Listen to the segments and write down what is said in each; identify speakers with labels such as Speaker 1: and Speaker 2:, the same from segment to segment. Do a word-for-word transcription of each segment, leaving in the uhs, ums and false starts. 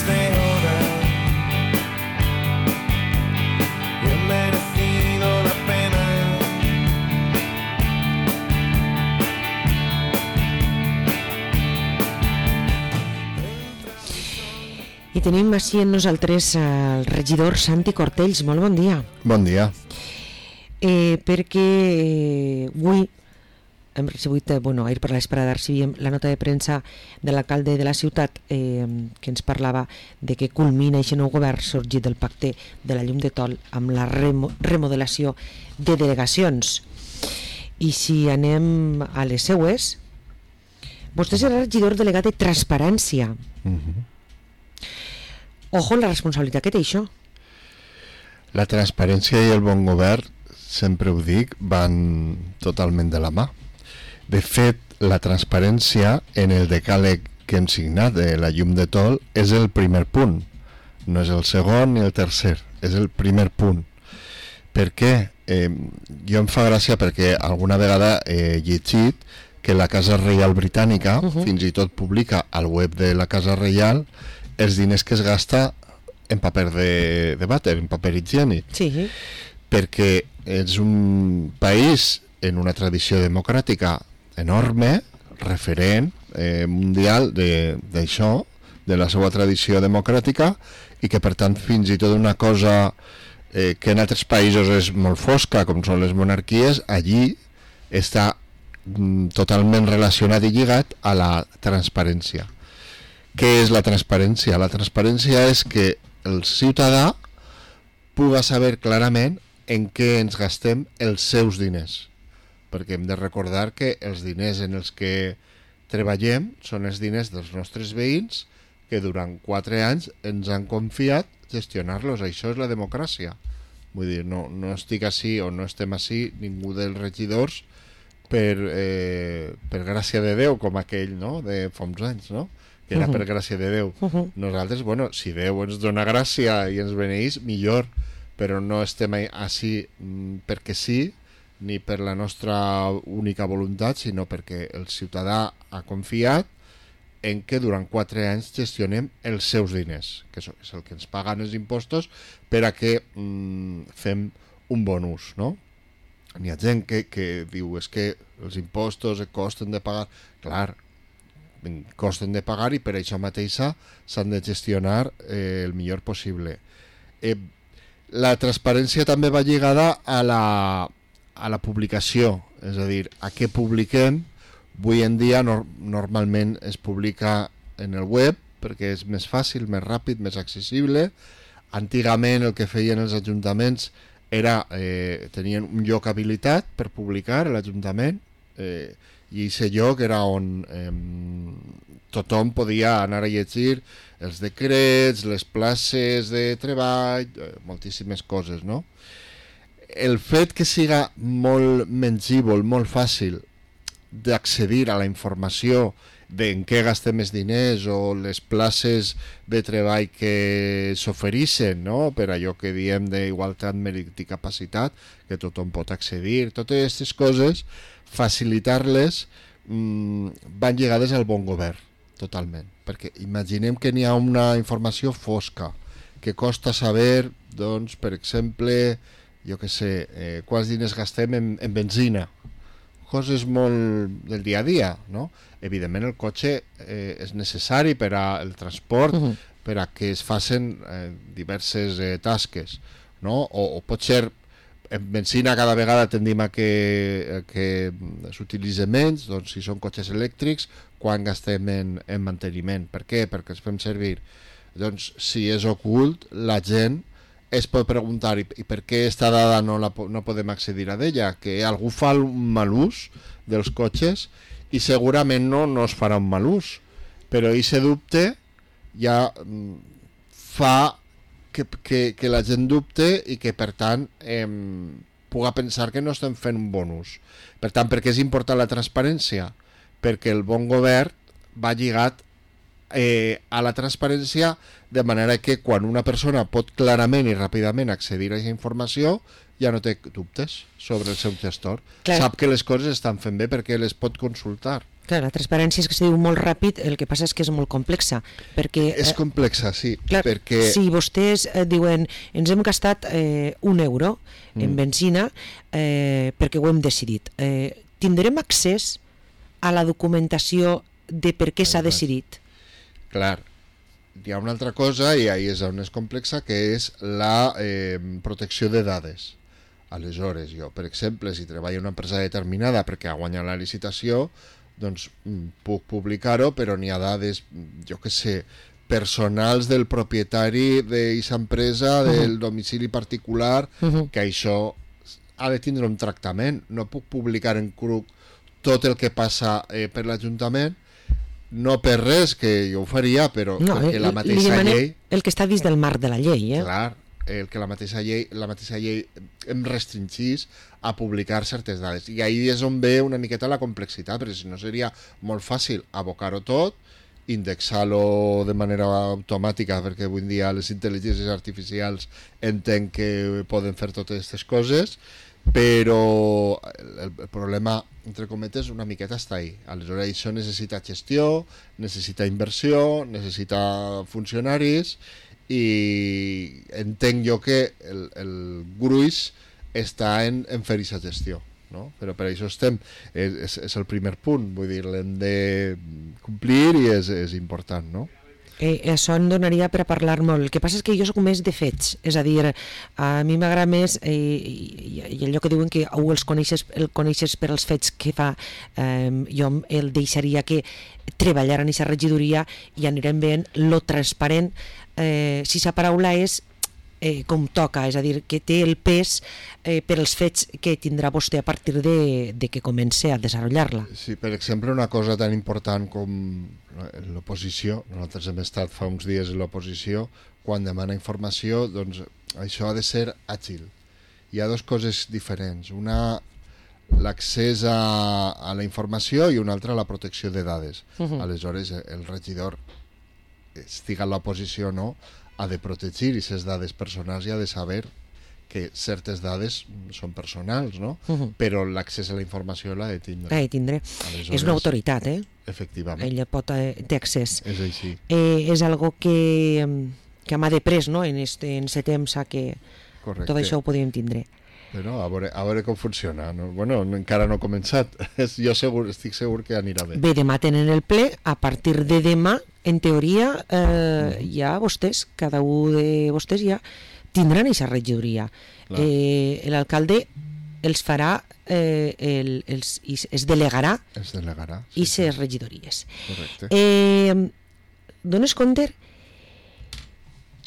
Speaker 1: de hora y he merecido la pena.
Speaker 2: I tenim així amb nosaltres el regidor Santi Cortells. Molt bon dia.
Speaker 3: Bon dia.
Speaker 2: Eh, perquè eh, avui hem recebut, eh, bueno, ahir per l'esperada recibíem la nota de premsa de l'alcalde de la ciutat eh, que ens parlava de que culmina aquest nou govern sorgit del pacte de la llum de Tol amb la remo remodelació de delegacions. I si anem a les seues, vostè serà regidor delegat de Transparència.
Speaker 3: Uh-huh.
Speaker 2: Ojo la responsabilitat que té això.
Speaker 3: La transparència i el bon govern, sempre ho dic, van totalment de la mà. De fet, la transparència en el decàleg que hem signat de la llum de Tol és el primer punt. No és el segon ni el tercer, és el primer punt. Per què? Eh, jo em fa gràcia perquè alguna vegada he llegit que la Casa Reial Britànica uh-huh. fins i tot publica al web de la Casa Reial els diners que es gasta en paper de, de vàter, en paper higiènic.
Speaker 2: Sí.
Speaker 3: Perquè és un país en una tradició democràtica enorme, referent eh, mundial d'això, de, de la seva tradició democràtica, i que per tant fins i tot una cosa eh, que en altres països és molt fosca, com són les monarquies, allí està mm, totalment relacionat i lligat a la transparència. Què és la transparència? La transparència és que el ciutadà puga saber clarament en què ens gastem els seus diners, perquè hem de recordar que els diners en els que treballem són els diners dels nostres veïns que durant quatre anys ens han confiat gestionar-los. Això és la democràcia. Vull dir, no, no estic així o no estem així ningú dels regidors per, eh, per gràcia de Déu, com aquell, no?, de fa uns anys, no?, que era per gràcia de Déu. Uh-huh. Nosaltres, bueno, si Déu ens dona gràcia i ens beneís, millor, però no estem així mm, perquè sí, ni per la nostra única voluntat, sinó perquè el ciutadà ha confiat en que durant quatre anys gestionem els seus diners, que és el que ens paguen els impostos per a que mm, fem un bon ús, no? N'hi ha gent que, que diu és que els impostos costen de pagar. Clar, costen de pagar i per això mateixa s'han de gestionar eh, el millor possible. Eh, la transparència també va lligada a la, a la publicació, és a dir, a què publiquem. Avui en dia no, normalment es publica en el web perquè és més fàcil, més ràpid, més accessible. Antigament el que feien els ajuntaments era eh, tenien un lloc habilitat per publicar a l'Ajuntament, eh, i aquest lloc era on eh, tothom podia anar a llegir els decrets, les places de treball, eh, moltíssimes coses, no? El fet que siga molt mengívol, molt fàcil d'accedir a la informació d'en què gastem els diners o les places de treball que s'ofereixen, no?, per allò que diem d'igualtat, mèrit i capacitat, que tothom pot accedir, totes aquestes coses, facilitar-les mmm, van lligades al bon govern, totalment. Perquè imaginem que n'hi ha una informació fosca, que costa saber, doncs, per exemple, jo què sé, eh, quants diners gastem en, en benzina, coses molt del dia a dia, no? Evidentment el cotxe eh, és necessari per al transport, uh-huh. per a que es facin eh, diverses eh, tasques, no? O, o pot ser en benzina cada vegada tendim a que, que s'utilitza menys, doncs si són cotxes elèctrics, quan gastem en, en manteniment. Per què? Perquè els fem servir. Doncs si és ocult, la gent es pot preguntar i, i per què esta dada no, la, no podem accedir a d'ella, que algú fa un mal ús dels cotxes i segurament no, no es farà un mal ús, però aquest dubte ja fa que, que, que la gent dubte i que per tant eh, puga pensar que no estem fent un bon ús. Per tant, per què és important la transparència? Perquè el bon govern va lligat Eh, a la transparència, de manera que quan una persona pot clarament i ràpidament accedir a aquesta informació ja no té dubtes sobre el seu gestor. Clar. Sap que les coses estan fent bé perquè les pot consultar.
Speaker 2: Clar, la transparència és que se diu molt ràpid, el que passa és que és molt complexa, perquè...
Speaker 3: És complexa, sí,
Speaker 2: clar,
Speaker 3: perquè...
Speaker 2: Si vostès eh, diuen ens hem gastat eh, un euro en
Speaker 3: Mm.
Speaker 2: benzina eh, perquè ho hem decidit, eh, tindrem accés a la documentació de per què s'ha
Speaker 3: Exacte.
Speaker 2: decidit?
Speaker 3: Clar, hi ha una altra cosa, i ahí és on és complexa, que és la eh, protecció de dades. Aleshores, jo, per exemple, si treballo en una empresa determinada perquè ha guanyat la licitació, doncs mm, puc publicar-ho, però n'hi ha dades, jo que sé, personals del propietari d'aquesta empresa, del domicili particular,
Speaker 2: Uh-huh.
Speaker 3: que això ha de tindre un tractament. No puc publicar en cru tot el que passa eh, per l'Ajuntament, no per res, que jo ho faria, però
Speaker 2: No,
Speaker 3: perquè la
Speaker 2: li
Speaker 3: mateixa
Speaker 2: demanem
Speaker 3: llei...
Speaker 2: el que està dins del marc de la llei, eh?
Speaker 3: Clar, el que la mateixa llei, la mateixa llei em restringís a publicar certes dades. I ahí és on ve una miqueta la complexitat, perquè si no seria molt fàcil abocar-ho tot, indexar-lo de manera automàtica, perquè avui en dia les intel·ligències artificials entenc que poden fer totes aquestes coses, però el, el problema, entre cometes, una miqueta està ahí. Aleshores això necessita gestió, necessita inversió, necessita funcionaris, i entenc jo que el, el gruix està en, en fer aquesta gestió, no? Però per això estem, és, és, és el primer punt, vull dir, l'hem de complir i és, és important, no?
Speaker 2: Eh, això em donaria per a parlar molt. El que passa és que jo soc més de fets, és a dir, a mi m'agrada més, eh, i, i allò que diuen que o els coneixes, el coneixes per als fets que fa, eh, jo el deixaria que treballar en aquesta regidoria i anirem veient lo transparent, eh, si la paraula és eh, com toca, és a dir, que té el pes eh, per als fets que tindrà vostè a partir de, de que comence a desenvolupar-la.
Speaker 3: Sí, per exemple, una cosa tan important com l'oposició, nosaltres hem estat fa uns dies en l'oposició, quan demana informació, doncs això ha de ser àgil. Hi ha dues coses diferents, una l'accés a, a la informació i una altra la protecció de dades.
Speaker 2: Uh-huh.
Speaker 3: Aleshores, el regidor, estiga en l'oposició o no, ha de protegir aquestes dades personals i ha de saber que certes dades són personals, no?
Speaker 2: Uh-huh.
Speaker 3: Però l'accés a la informació l'ha de tindre.
Speaker 2: Ha de tindre.
Speaker 3: Aleshores,
Speaker 2: És una autoritat, eh?
Speaker 3: Efectivament,
Speaker 2: Ella pot, eh, té accés.
Speaker 3: és així.
Speaker 2: Eh, és algo que, que m'ha deprès, no? En este, en este temps a que
Speaker 3: Correcte.
Speaker 2: tot això ho podíem tindre.
Speaker 3: Bueno, a veure, a veure com funciona. No? Bueno, no, encara no ha començat. Jo segur, estic segur que anirà bé.
Speaker 2: Bé, demà tenen el ple. A partir de demà, en teoria, eh, ja vostès, cada un de vostès ja tindran aquesta regidoria. Eh, L'alcalde els farà, eh, el, els, es delegarà
Speaker 3: Es delegarà.
Speaker 2: i ses regidories.
Speaker 3: Correcte.
Speaker 2: Eh, dones compte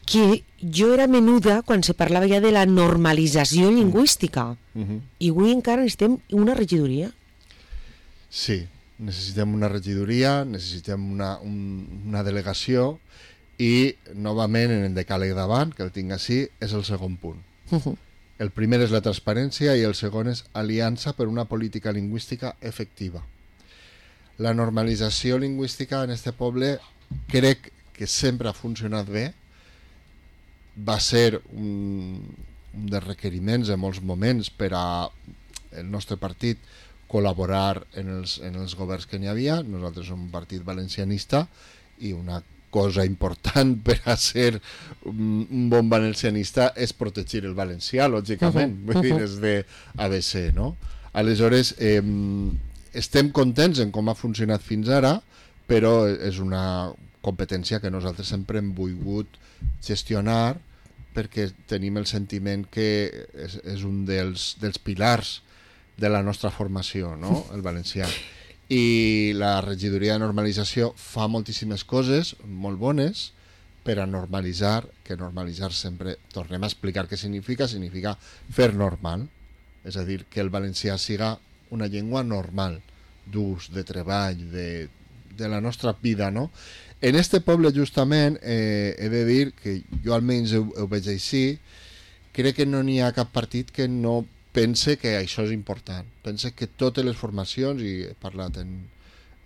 Speaker 2: que jo era menuda quan se parlava ja de la normalització lingüística
Speaker 3: Uh -huh.
Speaker 2: i avui encara necessitem una regidoria.
Speaker 3: Sí, necessitem una regidoria, necessitem una, un, una delegació i, novament, en el decàleg davant, que el tinc així, és el segon punt.
Speaker 2: Uh -huh.
Speaker 3: El primer és la transparència i el segon és aliança per una política lingüística efectiva. La normalització lingüística en este poble crec que sempre ha funcionat bé. Va ser un, un dels requeriments en molts moments per a el nostre partit col·laborar en els, en els governs que n'hi havia. Nosaltres som un partit valencianista i una cosa important per a ser un, un bon valencianista és protegir el valencià, lògicament.
Speaker 2: Uh-huh,
Speaker 3: Vull dir,
Speaker 2: uh-huh.
Speaker 3: és de A B C, no? Aleshores, eh, estem contents en com ha funcionat fins ara, però és una competència que nosaltres sempre hem volgut gestionar perquè tenim el sentiment que és, és un dels, dels pilars de la nostra formació, no? El valencià. I la regidoria de normalització fa moltíssimes coses molt bones per a normalitzar, que normalitzar sempre, tornem a explicar què significa, significa fer normal, és a dir, que el valencià siga una llengua normal, d'ús, de treball, de, de la nostra vida, no? En este poble, justament, eh, he de dir que jo almenys ho, ho veig així, crec que no n'hi ha cap partit que no pense que això és important. Pense que totes les formacions, i he parlat en,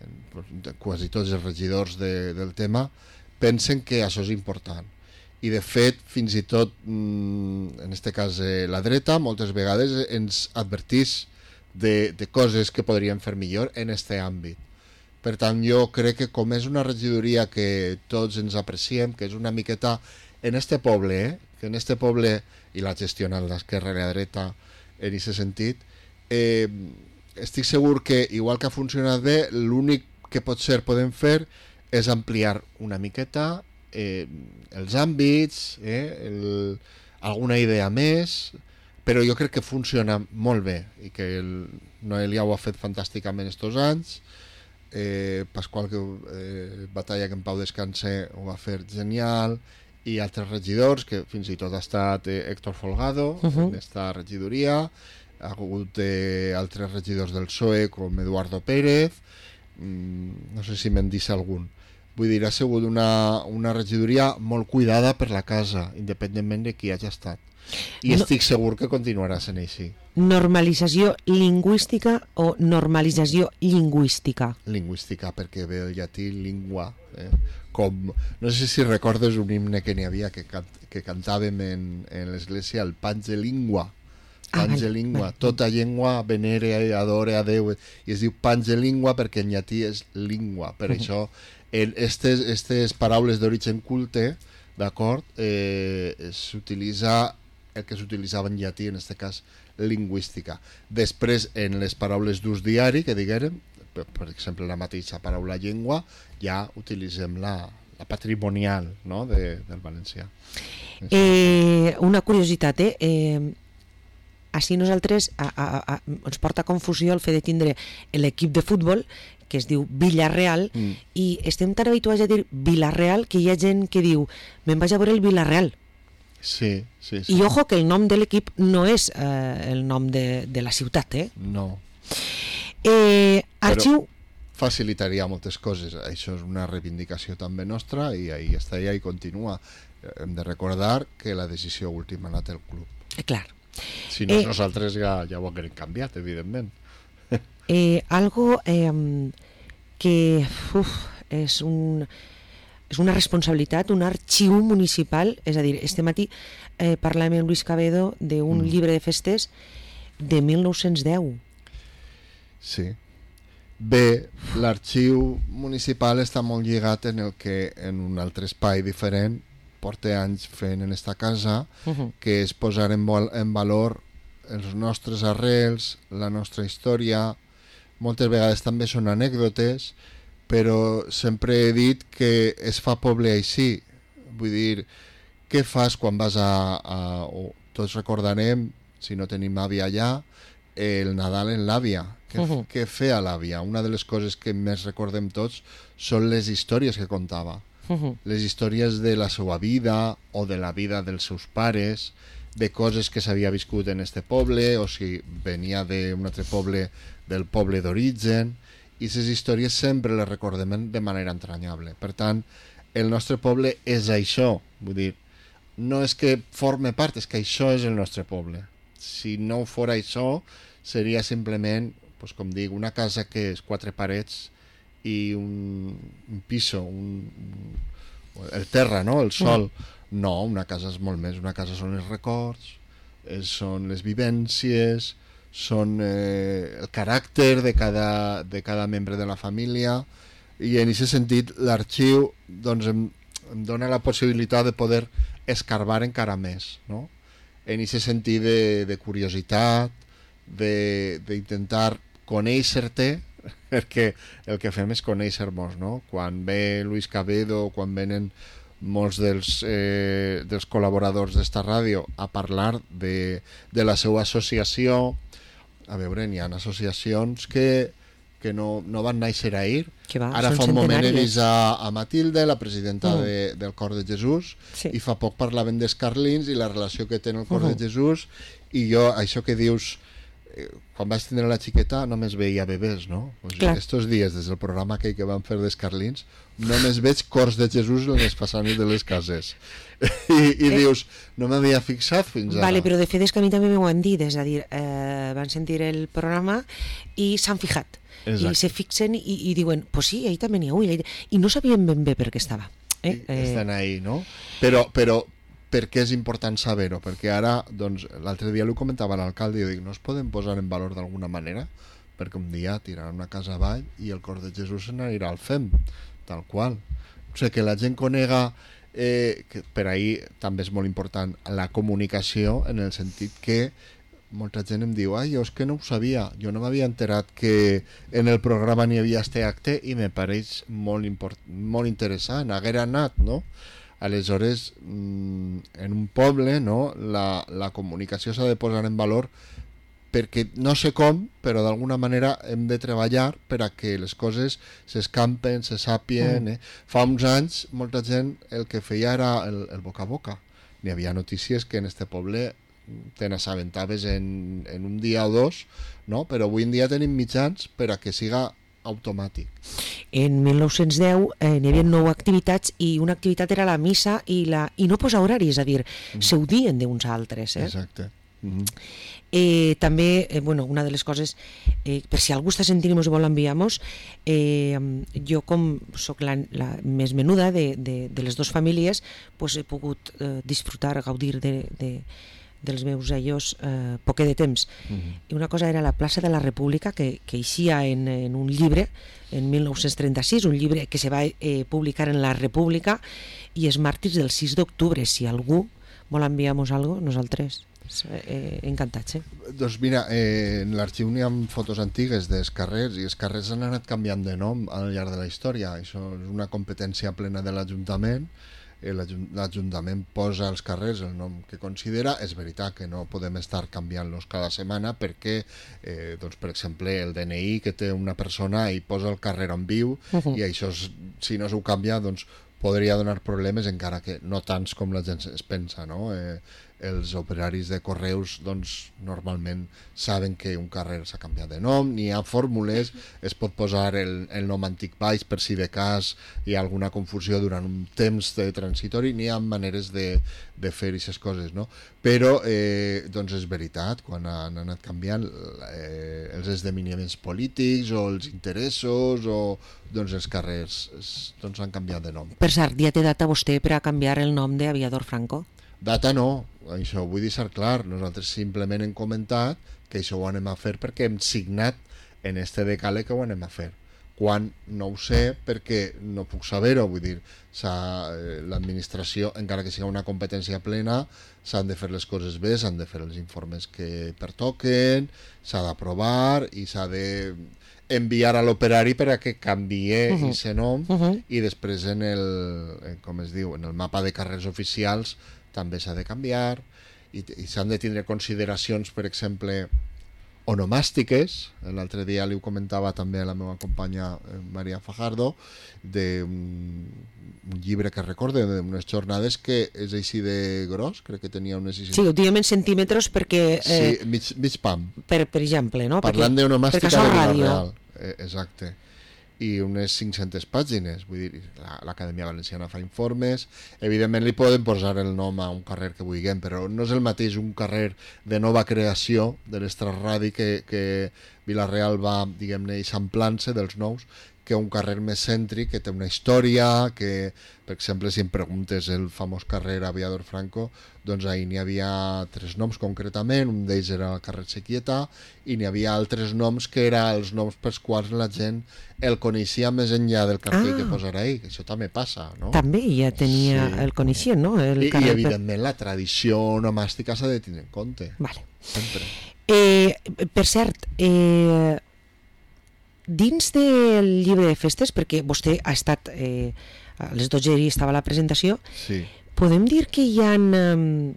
Speaker 3: en quasi tots els regidors de, del tema, pensen que això és important. I de fet, fins i tot, en este cas eh, la dreta, moltes vegades ens advertís de, de coses que podríem fer millor en este àmbit. Per tant, jo crec que com és una regidoria que tots ens apreciem, que és una miqueta en este poble, eh? que en este poble, i la gestiona l'esquerra i la dreta en aquest sentit, eh, estic segur que, igual que ha funcionat bé, l'únic que potser podem fer és ampliar una miqueta eh, els àmbits, eh, el, alguna idea més, però jo crec que funciona molt bé i que el Noelia ho ha fet fantàsticament estos anys. eh, Pasqual que, eh, Batalla, que en pau descanse, ho va fer genial, i altres regidors, que fins i tot ha estat eh, Héctor Folgado uh -huh. en esta regidoria, ha hagut eh, altres regidors del P S O E com Eduardo Pérez, mm, no sé si me'n disse algun. Vull dir, ha sigut una, una regidoria molt cuidada per la casa, independentment de qui hagi estat. I no, estic segur que continuarà sent així.
Speaker 2: Normalització lingüística o normalització lingüística?
Speaker 3: Lingüística, perquè ve el llatí lingua. Eh? Com, no sé si recordes un himne que n'hi havia que, can, que cantàvem en, en l'església, el Pange Lingua. Pange ah, Lingua, vale. Tota llengua venera i adore a Déu, i es diu Pange Lingua perquè en llatí és lingua. Per uh -huh. això, el, estes, estes paraules d'origen culte, d'acord, eh, s'utilitza el que s'utilitzava en llatí, en aquest cas lingüística. Després, en les paraules d'ús diari, que diguérem, per, per exemple, la mateixa paraula llengua, ja utilitzem la, la patrimonial, no?, de, del valencià.
Speaker 2: Eh, una curiositat, eh? eh així nosaltres a, a, a, ens porta confusió el fet de tindre l'equip de futbol que es diu Villarreal mm. i estem tan habituats a dir Villarreal que hi ha gent que diu me'n vaig a veure el Villarreal.
Speaker 3: Sí, sí, sí.
Speaker 2: I ojo que el nom de l'equip no és eh, el nom de, de la ciutat, eh?
Speaker 3: No.
Speaker 2: Eh, arxiu...
Speaker 3: Però facilitaria moltes coses. Això és una reivindicació també nostra i ahí està, i ahí continua. Hem de recordar que la decisió última l'ha té el club.
Speaker 2: Eh, clar.
Speaker 3: Si no, eh, nosaltres ja, ja ho haguem canviat, evidentment.
Speaker 2: Eh, algo eh, que uf, és, un, és una responsabilitat, un arxiu municipal, és a dir, este matí eh, parlàvem amb Luis Cabedo d'un mm. llibre de festes de mil nou-cents deu.
Speaker 3: Sí. Bé, l'arxiu municipal està molt lligat en el que en un altre espai diferent porta anys fent en esta casa, uh -huh. que és posar en, en valor els nostres arrels, la nostra història. Moltes vegades també són anècdotes, però sempre he dit que es fa poble així. Vull dir, què fas quan vas a... a o tots recordarem, si no tenim àvia allà, el Nadal en l'àvia. Què, uh -huh. què feia l'àvia? Una de les coses que més recordem tots són les històries que contava. Uh-huh. Les històries de la seva vida o de la vida dels seus pares, de coses que s'havia viscut en este poble o si venia d'un altre poble, del poble d'origen, i aquestes històries sempre les recordem de manera entranyable. Per tant, el nostre poble és això, vull dir, no és que forme part, és que això és el nostre poble. Si no fora això, seria simplement, doncs, com dic, una casa que és quatre parets i un, un piso, un, un, el terra, no? El sol. Mm. No, una casa és molt més. Una casa són els records, és, són les vivències, són eh, el caràcter de cada, de cada membre de la família, i en aquest sentit l'arxiu doncs, em, em dona la possibilitat de poder escarbar encara més, no? En aquest sentit de, de curiositat, d'intentar conèixer-te, perquè el que fem és conèixer-nos, no? Quan ve Luis Cabedo, quan venen molts dels, eh, dels col·laboradors d'esta ràdio a parlar de, de la seva associació, a veure, n'hi ha associacions que, que no, no van néixer ahir.
Speaker 2: Va,
Speaker 3: ara fa un moment he vist a, a Matilde, la presidenta mm. de, del Cor de Jesús, sí. I fa poc parlaven dels Carlins i la relació que té el Cor uh -huh. de Jesús, i jo, això que dius, quan vaig tindre la xiqueta només veia bebès, no? Pues estos dies, des del programa aquell que van fer dels Carlins, només veig cors de Jesús en les façanes de les cases. I, i eh, dius, no m'havia fixat fins ara.
Speaker 2: Vale, però de fet és que a mi també m'ho han dit, és a dir, eh, van sentir el programa i s'han fijat. Exacte. I se fixen i, i diuen, pues sí, ahí també n'hi ha un. I no sabien ben bé per què estava. Eh?
Speaker 3: I, estan ahí, no? Però, però per què és important saber-ho? Perquè ara, doncs, l'altre dia ho comentava l'alcalde i jo dic, no es poden posar en valor d'alguna manera? perquè un dia tiraran una casa avall i el cor de Jesús se n'anirà al fem, tal qual. O sigui, que la gent conega, eh, que per ahir també és molt important la comunicació, en el sentit que molta gent em diu, ai, jo és que no ho sabia, jo no m'havia enterat que en el programa n'hi havia este acte i me pareix molt, import, molt interessant, haguera anat, no? Aleshores, en un poble, no, la, la comunicació s'ha de posar en valor perquè no sé com, però d'alguna manera hem de treballar per a que les coses s'escampen, se sàpien. Mm. Eh? Fa uns anys, molta gent el que feia era el, el boca a boca. N'hi havia notícies que en este poble te n'assabentaves en, en un dia o dos, no? Però avui en dia tenim mitjans per a que siga automàtic.
Speaker 2: En mil nou-cents deu eh, n'hi havia nou activitats i una activitat era la missa i, la, i no posar horari, és a dir, mm. s'audien d'uns altres. Eh?
Speaker 3: Exacte. Mm-hmm.
Speaker 2: Eh, també, eh, bueno, una de les coses, eh, per si algú està sentint i ens vol enviamos, eh, jo com soc la, la més menuda de, de, de les dues famílies, pues he pogut eh, disfrutar, gaudir de, de, dels meus ellos eh, poquet de temps. Mm-hmm. I una cosa era la plaça de la República, que, que eixia en, en un llibre en mil nou-cents trenta-sis, un llibre que se va eh, publicar en la República, i els màrtirs del sis d'octubre. Si algú vol enviar-nos alguna cosa, nosaltres eh, encantats. Eh?
Speaker 3: Doncs mira, eh, en l'arxiu n'hi ha fotos antigues dels carrers, i els carrers han anat canviant de nom al llarg de la història. Això és una competència plena de l'Ajuntament. L'Ajuntament posa als carrers el nom que considera. És veritat que no podem estar canviant-los cada setmana perquè, eh, doncs, per exemple, el D N I que té una persona i posa el carrer on viu, uh-huh. i això, si no s'ho canvia, doncs podria donar problemes, encara que no tants com la gent es pensa, no? Eh, els operaris de correus doncs normalment saben que un carrer s'ha canviat de nom, n'hi ha fórmules, es pot posar el, el nom antic baix per si de cas hi ha alguna confusió durant un temps de transitori, n'hi ha maneres de, de fer aquestes coses, no? Però eh, doncs és veritat, quan han anat canviant eh, els esdeveniments polítics o els interessos, o doncs els carrers es, doncs han canviat de nom.
Speaker 2: Per cert, ja té data vostè per a canviar el nom d'Aviador Franco?
Speaker 3: Data no, això ho vull deixar clar. Nosaltres simplement hem comentat que això ho anem a fer perquè hem signat en este decàleg que ho anem a fer. Quan no ho sé, perquè no puc saber-ho, vull dir, l'administració, encara que sigui una competència plena, s'han de fer les coses bé, s'han de fer els informes que pertoquen, s'ha d'aprovar i s'ha de enviar a l'operari per a que canvie uh-huh. ese nom, uh-huh. i després en el, com es diu, en el mapa de carrers oficials també s'ha de canviar, i, i s'han de tindre consideracions, per exemple, onomàstiques. L'altre dia li ho comentava també a la meva companya Maria Fajardo, d'un un llibre que recorde d'unes jornades que és així de gros, crec que tenia unes...
Speaker 2: Sí, ho diem en centímetres perquè... Eh,
Speaker 3: sí, mig, mig pam.
Speaker 2: Per, per exemple, no?
Speaker 3: Parlant d'onomàstica de Vila-real. Eh, exacte. I unes cinc-centes pàgines, vull dir, l'Acadèmia Valenciana fa informes, evidentment li poden posar el nom a un carrer que vulguem, però no és el mateix un carrer de nova creació de l'Estrarradi que, que Vila-real va, diguem-ne, eixamplant-se dels nous, que un carrer més cèntric, que té una història, que, per exemple, si em preguntes el famós carrer Aviador Franco, doncs ahir n'hi havia tres noms concretament, un d'ells era el carrer Sequieta, i n'hi havia altres noms que eren els noms pels quals la gent el coneixia més enllà del cartell ah. que posarà ahir, que això també passa, no?
Speaker 2: També ja tenia, sí. el coneixien, no? El
Speaker 3: I, I evidentment la tradició onomàstica s'ha de tenir en compte.
Speaker 2: Vale.
Speaker 3: Sempre.
Speaker 2: Eh, per cert, eh, dins del llibre de festes, perquè vostè ha estat, eh, a les dotze hi estava la presentació,
Speaker 3: sí.
Speaker 2: podem dir que hi ha... Eh,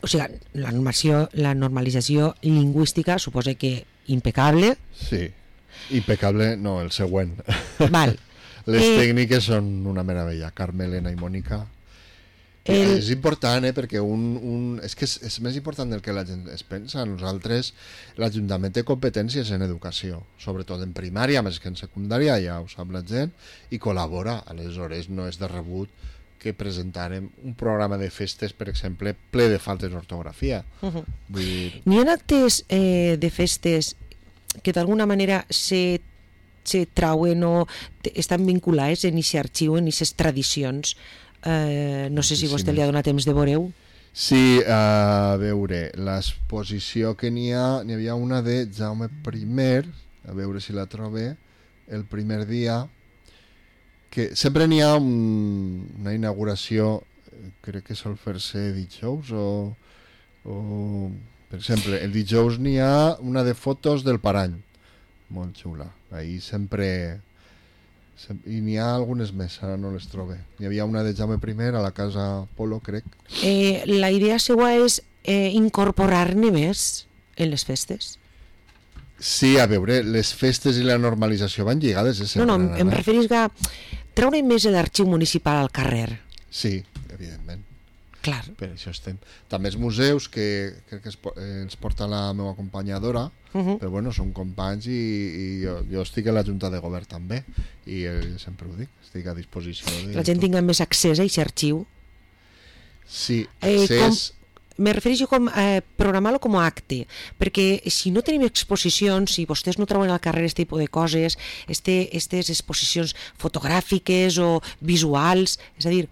Speaker 2: o sigui, la normació, la normalització lingüística suposa que impecable.
Speaker 3: Sí, impecable, no, el següent.
Speaker 2: Val.
Speaker 3: Les
Speaker 2: eh,
Speaker 3: tècniques són una meravella, Carme, Elena i Mònica. El... És important, eh, perquè un, un... és que és, és més important del que la gent es pensa. Nosaltres, l'Ajuntament té competències en educació, sobretot en primària, més que en secundària, ja ho sap la gent, i col·labora. Aleshores, no és de rebut que presentarem un programa de festes, per exemple, ple de faltes d'ortografia. Uh-huh. Vull dir...
Speaker 2: N'hi ha actes eh, de festes que d'alguna manera se, se trauen o estan vinculats en aquest arxiu, en aquestes tradicions. Eh, no sé si vostè li ha donat temps de veure-ho.
Speaker 3: Sí, a veure, l'exposició que n'hi ha, n'hi havia una de Jaume primer, a veure si la trobe, el primer dia, que sempre n'hi ha un, una inauguració, crec que sol fer-se dijous o, o... Per exemple, el dijous n'hi ha una de fotos del Parany, molt xula. Ahir sempre... I n'hi ha algunes més, ara no les trobe. Hi havia una de Jaume primer a la Casa Polo, crec.
Speaker 2: Eh, la idea seva és eh, incorporar-ne més en les festes.
Speaker 3: Sí, a veure, les festes i la normalització van lligades. Eh,
Speaker 2: No, no,
Speaker 3: sempre,
Speaker 2: em
Speaker 3: eh?
Speaker 2: referís a treure més l'arxiu municipal al carrer.
Speaker 3: Sí, evidentment.
Speaker 2: Clar.
Speaker 3: Per això estem. També els museus, que crec que es, po- eh, ens porta la meva acompanyadora,
Speaker 2: Uh -huh.
Speaker 3: però bueno, són companys i, i jo, jo estic a la Junta de Govern també, i eh, sempre ho dic, estic a disposició de...
Speaker 2: Que la gent tinga més accés a aquest arxiu.
Speaker 3: Sí,
Speaker 2: Eh,
Speaker 3: accés...
Speaker 2: Me refereixo com eh, programar-lo com a acte, perquè si no tenim exposicions, si vostès no treuen al carrer aquest tipus de coses, este, estes exposicions fotogràfiques o visuals, és a dir,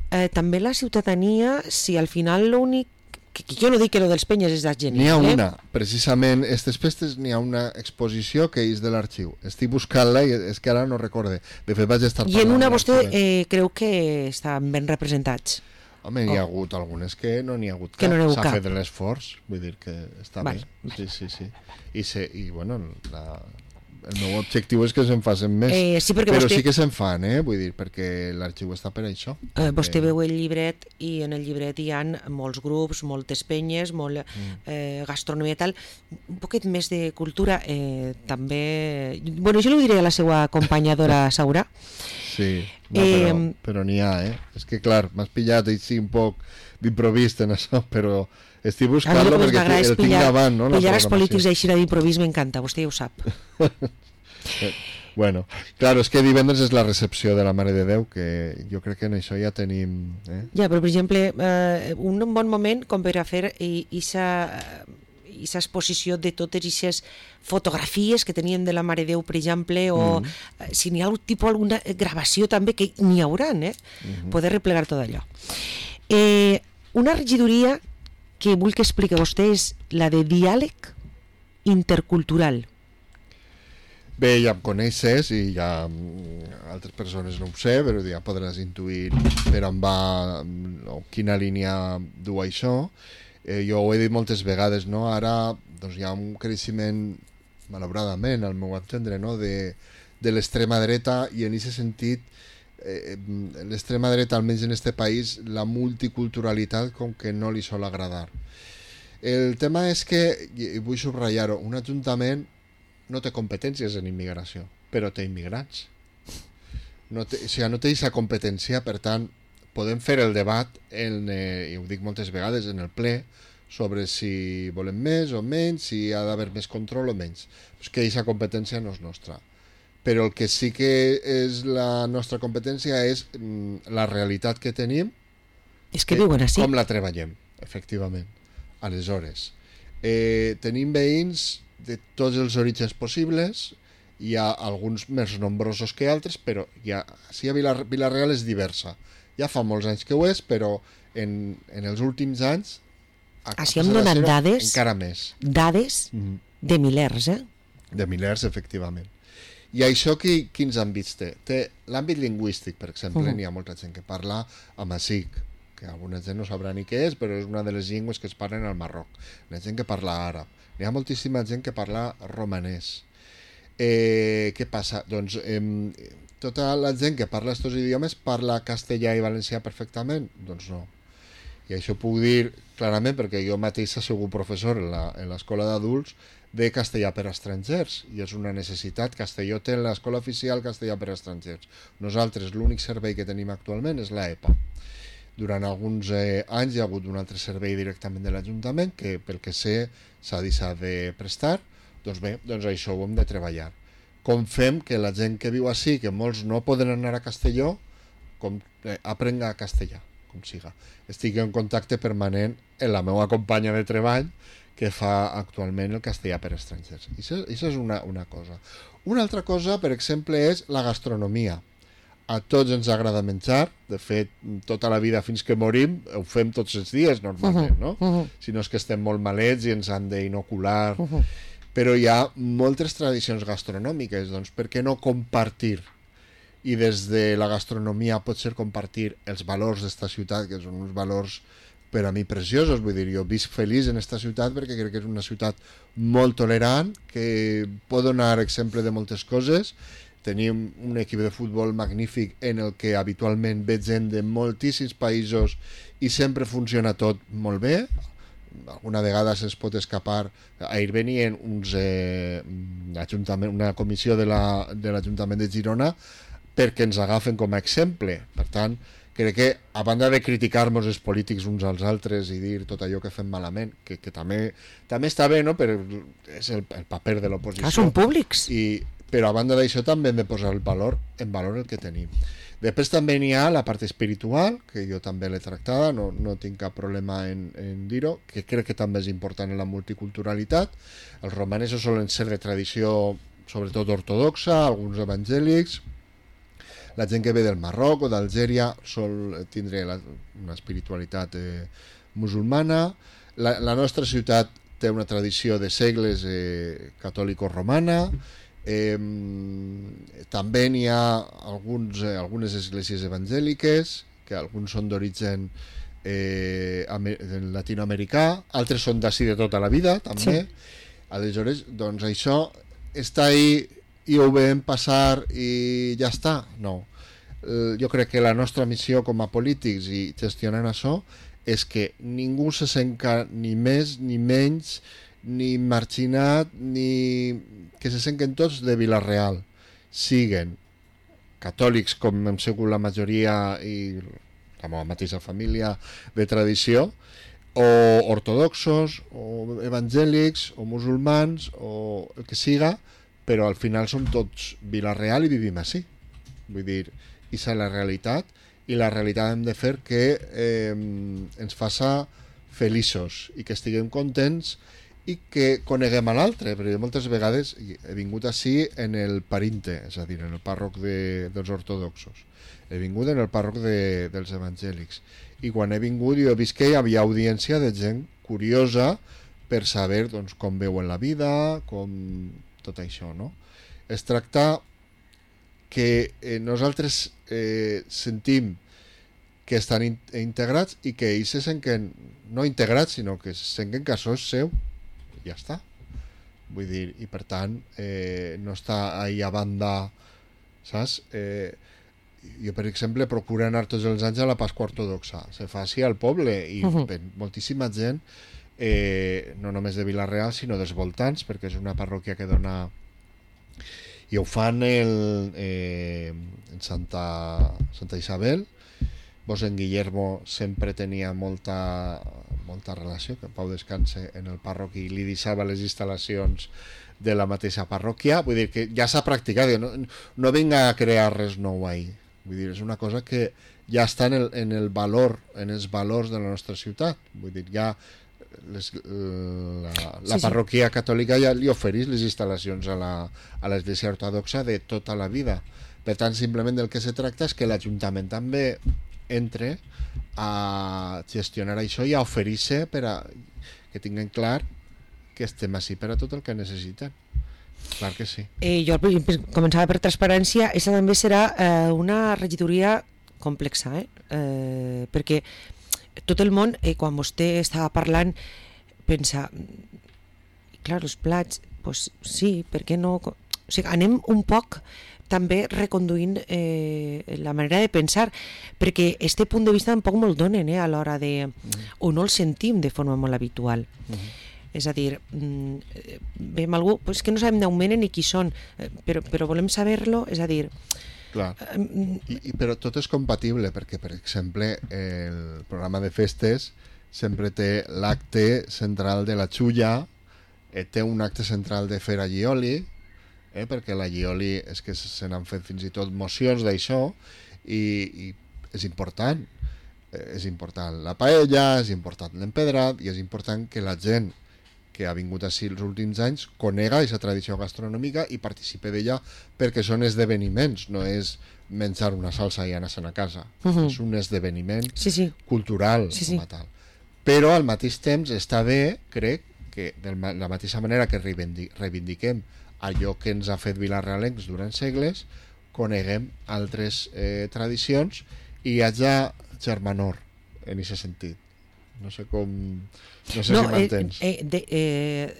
Speaker 2: eh, també la ciutadania, si al final l'únic, que, que jo no dic que lo dels penyes és genial,
Speaker 3: N'hi ha
Speaker 2: eh?
Speaker 3: una, precisament, aquestes festes n'hi ha una exposició que és de l'arxiu. Estic buscant-la i és que ara no recorde. De fet vaig estar
Speaker 2: I en
Speaker 3: parlant
Speaker 2: una
Speaker 3: amb
Speaker 2: vostè
Speaker 3: l'arxiver.
Speaker 2: eh, creu que estan ben representats.
Speaker 3: Home, n'hi ha hagut algunes que no n'hi ha hagut
Speaker 2: Que
Speaker 3: cap.
Speaker 2: no n'hi ha hagut
Speaker 3: S'ha
Speaker 2: cap.
Speaker 3: fet l'esforç, vull dir que està
Speaker 2: Vale,
Speaker 3: bé. Sí, sí, sí. I, se, i bueno, la, el meu objectiu és que se'n facin més.
Speaker 2: Eh, sí, perquè
Speaker 3: però
Speaker 2: vostè-
Speaker 3: sí que se'n fan, eh? Vull dir, perquè l'arxiu està per això.
Speaker 2: Eh, vostè
Speaker 3: Eh,
Speaker 2: veu el llibret i en el llibret hi ha molts grups, moltes penyes, molt eh, gastronomia i tal, un poquet més de cultura eh, també... Bueno, jo li ho diré a la seva acompanyadora Saura.
Speaker 3: Sí, no,
Speaker 2: Eh,
Speaker 3: però, però n'hi ha, eh? És que, clar, m'has pillat així un poc d'improvist en això, però estic
Speaker 2: A mi el
Speaker 3: buscant-lo
Speaker 2: que més
Speaker 3: perquè
Speaker 2: m'agrada és
Speaker 3: el tinc
Speaker 2: pillar,
Speaker 3: davant, no? la
Speaker 2: pillar els
Speaker 3: programació.
Speaker 2: polítics així d'improvís m'encanta, vostè ja ho sap.
Speaker 3: Eh, Bueno, claro, és que divendres és la recepció de la Mare de Déu, que jo crec que en això ja tenim... Eh?
Speaker 2: Ja, però per exemple, eh, un bon moment com per a fer aquesta exposició de totes aquestes fotografies que teníem de la Mare de Déu, per exemple, o
Speaker 3: Mm.
Speaker 2: eh, si n'hi ha algun tipus, alguna gravació també, que n'hi haurà, eh?
Speaker 3: Mhm.
Speaker 2: Poder replegar tot allò. Eh, una regidoria que vull que expliqui vostè és la de diàleg intercultural.
Speaker 3: Bé, ja em coneixes i ja mm, altres persones no ho sé, però ja podràs intuir per on va mm, o quina línia du això. Eh, jo ho he dit moltes vegades, no? Ara doncs, hi ha un creixement, malauradament, al meu entendre, no? de, de l'extrema dreta, i en aquest sentit eh, l'extrema dreta, almenys en este país, la multiculturalitat com que no li sol agradar. El tema és que, i vull subratllar-ho, un ajuntament no té competències en immigració, però té immigrants. No té, o sigui, no té aquesta competència, per tant, podem fer el debat, en, eh, i ho dic moltes vegades, en el ple, sobre si volem més o menys, si ha d'haver més control o menys. És que aquesta competència no és nostra. Però el que sí que és la nostra competència és mm, la realitat que tenim,
Speaker 2: És que
Speaker 3: eh,
Speaker 2: viuen així.
Speaker 3: com la treballem, efectivament. Aleshores, eh, tenim veïns de tots els orígens possibles, hi ha alguns més nombrosos que altres, però ja, sí, a Vila, Vila-real és diversa. Ja fa molts anys que ho és, però en, en els últims anys ha
Speaker 2: Així em
Speaker 3: passat a
Speaker 2: donen
Speaker 3: ser-ho
Speaker 2: dades.
Speaker 3: encara més.
Speaker 2: Dades
Speaker 3: Mm -hmm.
Speaker 2: de milers, eh?
Speaker 3: De milers, efectivament. I això qui, quins àmbits té? Té l'àmbit lingüístic, per exemple,
Speaker 2: Mhm.
Speaker 3: n'hi ha molta gent que parla amazic, que alguna gent no sabrà ni què és, però és una de les llengües que es parlen al Marroc. N'hi ha gent que parla àrab, n'hi ha moltíssima gent que parla romanès. Eh, què passa? Doncs eh, tota la gent que parla aquests idiomes parla castellà i valencià perfectament? Doncs no. I això puc dir clarament perquè jo mateix he sigut professor en la- en l'escola d'adults de castellà per a estrangers, i és una necessitat. Castelló té en l'escola oficial castellà per a estrangers. Nosaltres l'únic servei que tenim actualment és l'E P A. Durant alguns eh, anys hi ha hagut un altre servei directament de l'Ajuntament que, pel que sé, s'ha deixat de prestar. Doncs bé, doncs això ho hem de treballar. Com fem que la gent que viu així, que molts no poden anar a Castelló, com eh, aprenga castellà, com siga. Estic en contacte permanent amb la meva companya de treball que fa actualment el castellà per a estrangers. I això, això és una, una cosa. Una altra cosa, per exemple, és la gastronomia. a tots ens agrada menjar, de fet, tota la vida fins que morim ho fem tots els dies normalment, no?
Speaker 2: Uh-huh.
Speaker 3: Si no és que estem molt malets i ens han d'inocular,
Speaker 2: Uh-huh.
Speaker 3: però hi ha moltes tradicions gastronòmiques, doncs per què no compartir? I des de la gastronomia pot ser compartir els valors d'esta ciutat, que són uns valors per a mi preciosos, vull dir, jo visc feliç en esta ciutat perquè crec que és una ciutat molt tolerant, que pot donar exemple de moltes coses. Tenim un equip de futbol magnífic en el que habitualment ve gent de moltíssims països i sempre funciona tot molt bé. Alguna vegada se'ns pot escapar. Ahir venien uns, eh, una comissió de l'Ajuntament de Girona perquè ens agafen com a exemple. Per tant, crec que a banda de criticar-nos els polítics uns als altres i dir tot allò que fem malament, que, que també, també està bé, no? Però és el, el paper de l'oposició.
Speaker 2: Ah, són públics.
Speaker 3: I, però a banda d'això també hem de posar el valor en valor el que tenim. Després també n'hi ha la part espiritual, que jo també l'he tractada, no, no tinc cap problema en, en dir-ho, que crec que també és important en la multiculturalitat. Els romanesos solen ser de tradició sobretot ortodoxa, alguns evangèlics. La gent que ve del Marroc o d'Algèria sol tindre la, una espiritualitat eh, musulmana. La, la nostra ciutat té una tradició de segles eh, catòlico-romana. Eh, també n'hi ha alguns, eh, algunes esglésies evangèliques, que alguns són d'origen eh, latinoamericà, altres són d'ací de tota la vida, també. Sí. Aleshores, doncs això està ahí i ho veiem passar i ja està. No. Eh, jo crec que la nostra missió com a polítics i gestionant això és que ningú se senta ni més ni menys ni marginat ni que se senten tots de Vila-real, siguen catòlics com hem sigut la majoria i la meva mateixa família de tradició, o ortodoxos o evangèlics o musulmans o el que siga, però al final som tots Vila-real i vivim així. Vull dir, aquesta és la realitat, i la realitat hem de fer que eh, ens faça feliços i que estiguem contents i que coneguem a l'altre, perquè moltes vegades he vingut així en el parinte, és a dir, en el pàrroc de, dels ortodoxos, he vingut en el pàrroc de, dels evangèlics, i quan he vingut jo he vist que hi havia audiència de gent curiosa per saber doncs, com veuen la vida, com tot això, no? Es tracta que eh, nosaltres eh, sentim que estan in integrats i que ells se senten no integrats, sinó que se senten que això és seu, i ja està. Vull dir, i per tant eh, no està ahí a banda, saps? Eh, jo, per exemple, procuro anar tots els anys a la Pasqua Ortodoxa, se fa així al poble, i uh -huh. moltíssima gent, eh, no només de Vila-real, sinó dels voltants, perquè és una parròquia que dona... I ho fan el, eh, en Santa, Santa Isabel. Vos en Guillermo sempre tenia molta, molta relació, que en Pau descanse en el pàrroc, i li deixava les instal·lacions de la mateixa parròquia. Vull dir que ja s'ha practicat, no, no vinga a crear res nou ahí. Vull dir, és una cosa que ja està en el, en el valor, en els valors de la nostra ciutat. Vull dir, ja les, la, la sí, parròquia sí. catòlica ja li ofereix les instal·lacions a l'església ortodoxa de tota la vida. Per tant, simplement del que se tracta és que l'Ajuntament també entre a gestionar això i a oferir-se per a que tinguin clar que estem així per a tot el que necessiten. Clar que sí.
Speaker 2: Eh, jo començava per transparència. Aquesta també serà eh, una regidoria complexa, eh? Eh, perquè tot el món, eh, quan vostè estava parlant, pensa, clar, els plats, pues sí, per què no? O sigui, anem un poc també reconduint eh, la manera de pensar, perquè este punt de vista tampoc me'l donen eh, a l'hora de... Mm. o no el sentim de forma molt habitual. Mm. És a dir, veiem algú, pues que no sabem d'on venen ni qui són, però, però volem saber-lo, és a dir...
Speaker 3: Clar, I, i, però tot és compatible, perquè, per exemple, el programa de festes sempre té l'acte central de la xulla, eh, té un acte central de fer allioli, eh, perquè l'allioli és que se n'han fet fins i tot mocions d'això, i, i és important, eh, és important la paella, és important l'empedrat, i és important que la gent que ha vingut així els últims anys, conega aquesta tradició gastronòmica i participe d'ella perquè són esdeveniments, no és menjar una salsa i anar-se'n a casa. Uh -huh. És un esdeveniment
Speaker 2: sí, sí.
Speaker 3: cultural
Speaker 2: sí, sí.
Speaker 3: com a tal. Però al mateix temps està bé, crec, que de la mateixa manera que reivindiquem allò que ens ha fet vilarrealencs durant segles, coneguem altres eh, tradicions i hi hagi germanor en aquest sentit. No sé com... No sé no, si m'entens.
Speaker 2: Eh, eh, de, eh,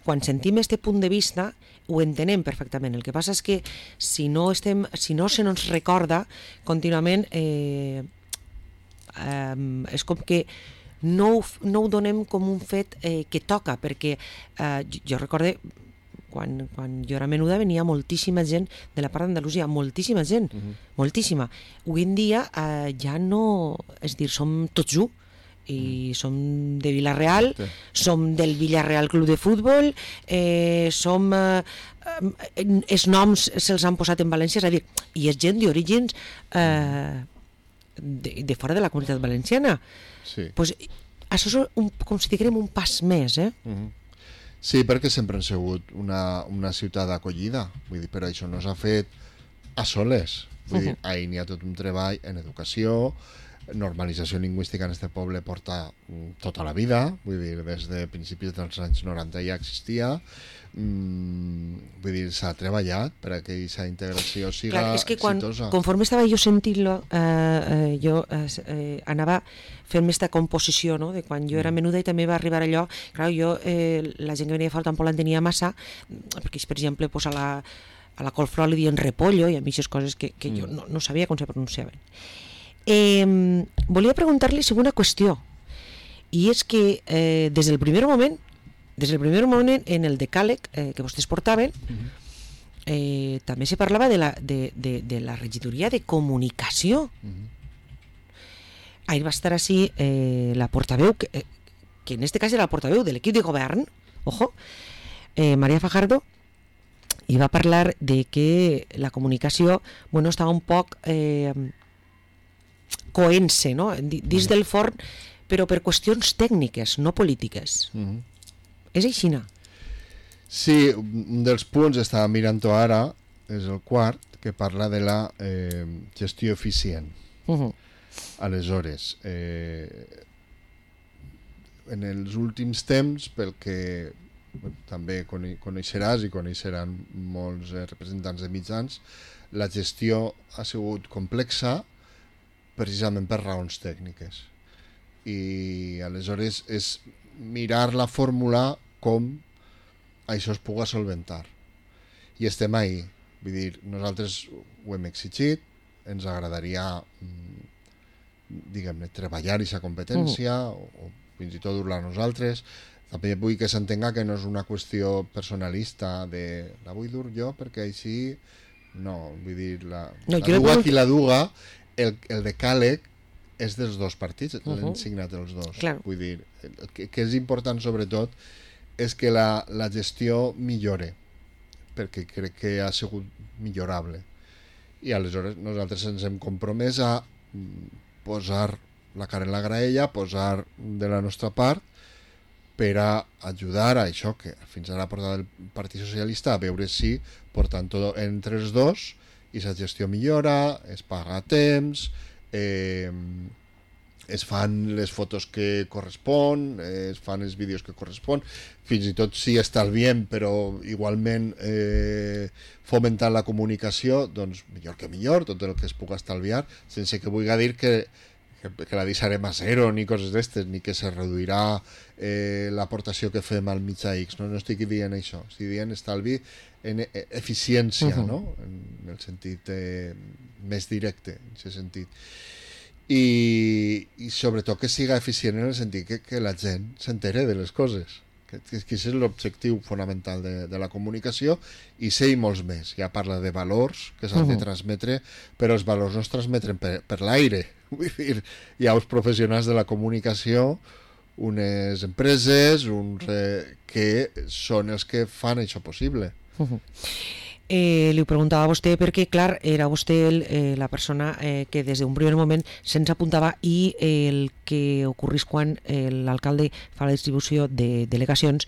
Speaker 2: quan sentim este punt de vista ho entenem perfectament. El que passa és que si no, estem, si no se nos recorda contínuament eh, eh, és com que no ho, no ho donem com un fet eh, que toca, perquè eh, jo, jo recorde quan, quan jo era menuda venia moltíssima gent de la part d'Andalusia, moltíssima gent, uh -huh. moltíssima. Avui en dia eh, ja no, és dir, som tots u, i som de Vila-real, sí. som del Villarreal Club de Futbol, eh, som eh, els noms se'ls han posat en València, és a dir, i és gent d'orígens eh, de, de fora de la comunitat valenciana.
Speaker 3: Sí.
Speaker 2: Pues, això és un, com si diguem un pas més, eh?
Speaker 3: Uh -huh. Sí, perquè sempre han sigut una, una ciutat d'acollida, vull dir, però això no s'ha fet a soles, vull uh -huh. dir, ahir n'hi ha tot un treball en educació, normalització lingüística en este poble porta tota la vida, vull dir, des de principis dels anys noranta ja existia, mm, vull dir, s'ha treballat per que aquesta integració siga
Speaker 2: Clar, és que quan,
Speaker 3: exitosa.
Speaker 2: Conforme estava jo sentint-lo, eh, eh, jo eh, eh, anava fent-me aquesta composició, no?, de quan jo era menuda i també va arribar allò, clar, jo, eh, la gent que venia de fora tampoc l'entenia massa, perquè, per exemple, pues a la, a la colflor li diuen repollo, i a mi aquestes coses que, que jo no, no sabia com se pronunciaven. Eh, volia preguntar-li sobre una qüestió, i és que eh, des del primer moment des del primer moment en el decàleg eh, que vostès portaven eh, també se parlava de la, de, de, de la regidoria de comunicació. Ahir va estar així eh, la portaveu que, eh, que en este cas era la portaveu de l'equip de govern, ojo, eh, María Fajardo, i va parlar de que la comunicació, bueno, estava un poc eh, coent-se, no?, dins del forn, però per qüestions tècniques, no polítiques. Uh-huh. És aixina?
Speaker 3: Sí, un dels punts, estava mirant-ho ara, és el quart, que parla de la eh, gestió eficient. Uh-huh. Aleshores, eh, en els últims temps, pel que també coneixeràs i coneixeran molts representants de mitjans, la gestió ha sigut complexa precisament per raons tècniques. I aleshores és mirar la fórmula com això es pugui solventar. I estem ahí. Vull dir, nosaltres ho hem exigit, ens agradaria, diguem-ne, treballar aquesta competència, uh. o, o fins i tot dur-la a nosaltres. També vull que s'entenga que no és una qüestió personalista de la vull dur jo perquè així no, vull dir, la, no, la duga qui la duga, el, el decàleg és dels dos partits, uh-huh. l'han signat els dos.
Speaker 2: Claro.
Speaker 3: Vull dir, el que, que és important sobretot és que la, la gestió millore, perquè crec que ha sigut millorable. I aleshores nosaltres ens hem compromès a posar la cara en la graella, posar de la nostra part per a ajudar a això que fins ara ha portat el Partit Socialista, a veure si portant tot entre els dos i la gestió millora, es paga a temps, eh, es fan les fotos que correspon, eh, es fan els vídeos que correspon, fins i tot si estalviem, però igualment eh, fomentant la comunicació, doncs millor que millor, tot el que es pugui estalviar, sense que vulgui dir que que, que la deixarem a zero ni coses d'estes, ni que se reduirà eh, l'aportació que fem al mitjà X, no, no estic dient això, estic dient estalvi en e eficiència, uh-huh. no? En el sentit eh, més directe, en aquest sentit. I, i sobretot que siga eficient en el sentit que, que la gent s'entere de les coses, que, que, que és l'objectiu fonamental de, de la comunicació, i sé i molts més. Ja parla de valors que s'han uh-huh. de transmetre, però els valors no es transmeten per, per l'aire. Vull dir, hi ha els professionals de la comunicació, unes empreses uns, eh, que són els que fan això possible.
Speaker 2: Uh-huh. Eh, li ho preguntava a vostè perquè, clar, era vostè el, eh, la persona eh, que des d'un primer moment se'ns apuntava i eh, el que ocorrís quan eh, l'alcalde fa la distribució de delegacions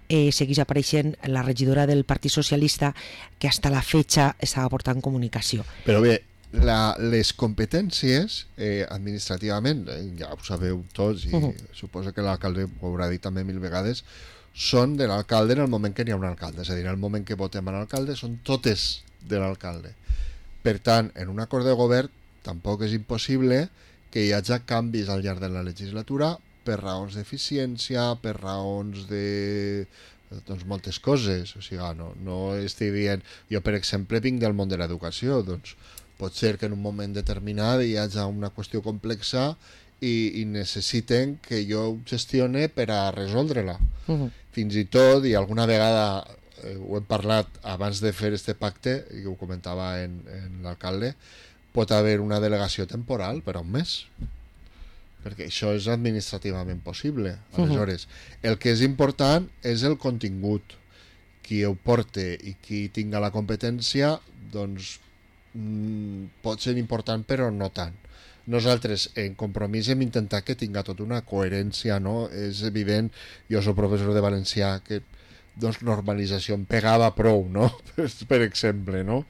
Speaker 2: eh, seguís apareixent la regidora del Partit Socialista que hasta la fecha estava portant comunicació.
Speaker 3: Però bé, la, les competències eh, administrativament, eh, ja ho sabeu tots i uh -huh. suposo que l'alcalde ho haurà dit també mil vegades, són de l'alcalde en el moment que n'hi ha un alcalde, és a dir, en el moment que votem a l'alcalde són totes de l'alcalde. Per tant, en un acord de govern tampoc és impossible que hi hagi canvis al llarg de la legislatura per raons d'eficiència, per raons de doncs moltes coses, o sigui, no, no estic dient, jo per exemple vinc del món de l'educació, doncs pot ser que en un moment determinat hi hagi una qüestió complexa i, i necessiten que jo ho gestione per a resoldre-la. Uh-huh. Fins i tot, i alguna vegada eh, ho hem parlat abans de fer este pacte, i ho comentava en, en l'alcalde, pot haver una delegació temporal per a un mes, perquè això és administrativament possible. Aleshores, uh-huh. el que és important és el contingut. Qui ho porte i qui tinga la competència, doncs mm, pot ser important, però no tant. Nosaltres en Compromís hem intentat que tinga tota una coherència, no? És evident, jo soc professor de valencià, que doncs normalització em pegava prou, no? Per exemple, no?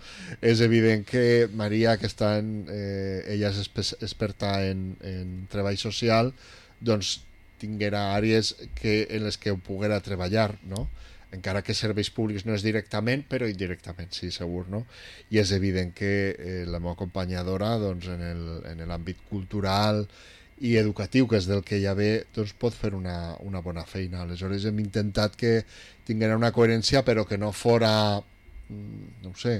Speaker 3: És evident que Maria, que està en, eh, ella és experta en, en treball social, doncs tinguera àrees que, en les que ho poguera treballar, no? Encara que serveis públics no és directament, però indirectament, sí, segur, no? I és evident que eh, la meva acompanyadora, doncs, en l'àmbit cultural i educatiu, que és del que ja ve, doncs pot fer una, una bona feina. Aleshores hem intentat que tinguera una coherència, però que no fora, no ho sé,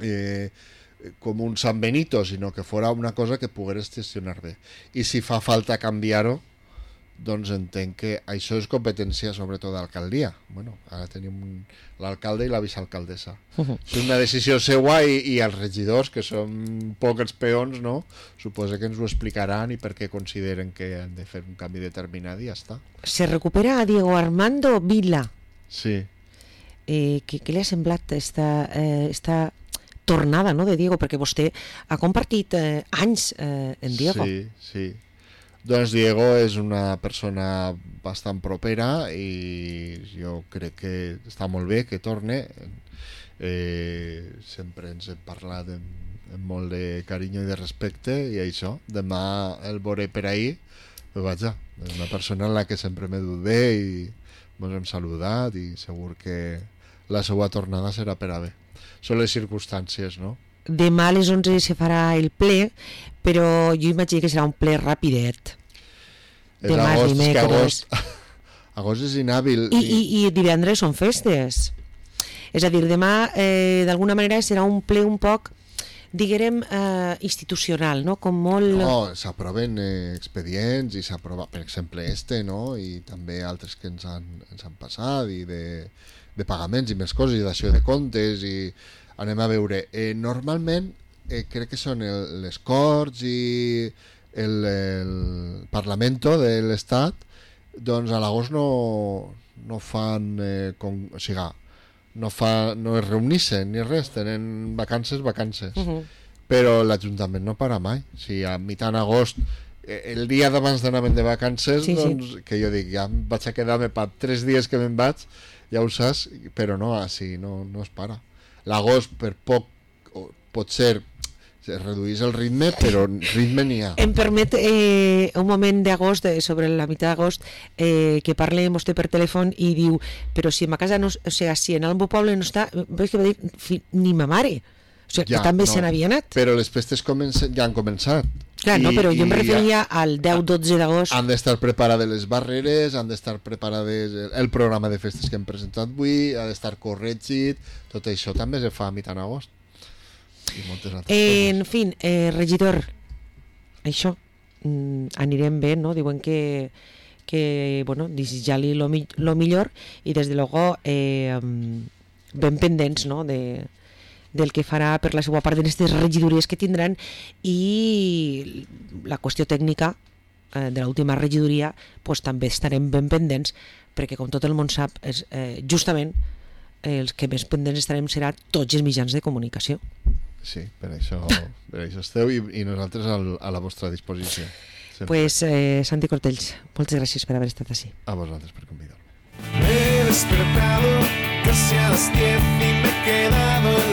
Speaker 3: eh, com un San Benito, sinó que fora una cosa que pogués gestionar bé. I si fa falta canviar-ho, doncs entenc que això és competència sobretot d'alcaldia. Bueno, ara tenim l'alcalde i la vicealcaldessa. Uh-huh. És una decisió seua i, i els regidors, que són poc els peons, no? Suposo que ens ho explicaran i per què consideren que han de fer un canvi determinat i ja està.
Speaker 2: Se recupera a Diego Armando Vila.
Speaker 3: Sí.
Speaker 2: Eh, què, què li ha semblat esta, eh, esta tornada, no, de Diego? Perquè vostè ha compartit eh, anys eh, en Diego.
Speaker 3: Sí, sí. Doncs Diego és una persona bastant propera i jo crec que està molt bé que torne. Eh, sempre ens hem parlat amb, amb molt de carinyo i de respecte i això, demà el veuré per ahir, però vaja, és una persona en la que sempre m'he dut bé i ens hem saludat i segur que la seva tornada serà per a bé. Són les circumstàncies, no?
Speaker 2: Demà a les onze se farà el ple, però jo imagino que serà un ple rapidet.
Speaker 3: És demà agost, és que agost, agost és inhàbil.
Speaker 2: I, i, i divendres són festes. És a dir, demà eh, d'alguna manera serà un ple un poc, diguem, eh, institucional, no? Com molt...
Speaker 3: No, s'aproven eh, expedients i s'aprova, per exemple, este, no? I també altres que ens han, ens han passat i de, de pagaments i més coses i d'ació de comptes i anem a veure. Eh, normalment eh, crec que són el, les Corts i el, el Parlamento de l'Estat, doncs a l'agost no, no fan, eh, com, o sigui, no, fa, no es reunixen ni res, tenen vacances, vacances. Uh -huh. Però l'Ajuntament no para mai. Si a mitjan agost, el dia d'abans d'anar-me'n de vacances, sí, doncs, sí. Que jo dic, ja em vaig a quedar-me per tres dies que me'n vaig, ja ho saps, però no, així no, no es para. L'agost, per poc, pot ser, es reduís el ritme, però ritme n'hi ha.
Speaker 2: Em permet eh, un moment d'agost, eh, sobre la meitat d'agost, eh, que parle amb vostè per telèfon i diu, però si a ma casa no, o sigui, si en el meu poble no està, veig que va dir, ni ma mare, o sigui, ja, que també no, se n'havia anat.
Speaker 3: Però les festes comencen, ja han començat.
Speaker 2: Clar, I, no, però jo em referia ja, al deu dotze d'agost.
Speaker 3: Han d'estar preparades les barreres, han d'estar preparades el programa de festes que hem presentat avui, ha d'estar corregit, tot això també se fa a mitjan agost.
Speaker 2: Eh, en fi, eh, regidor, això, mm, anirem bé, no? Diuen que, que bueno, desitjar-li lo, mi lo millor i des de luego eh, ben pendents, no? De, del que farà per la seva part d'aquestes regidories que tindran i la qüestió tècnica eh, de l'última regidoria pues, també estarem ben pendents perquè com tot el món sap és, eh, justament els que més pendents estarem serà tots els mitjans de comunicació.
Speaker 3: Sí, per això, per això esteu i, i nosaltres al, a la vostra disposició. Sempre.
Speaker 2: Pues eh, Santi Cortells, moltes gràcies per haver estat així.
Speaker 3: A vosaltres per convidar-me.
Speaker 1: Me he despertado casi a las diez y me he quedado en la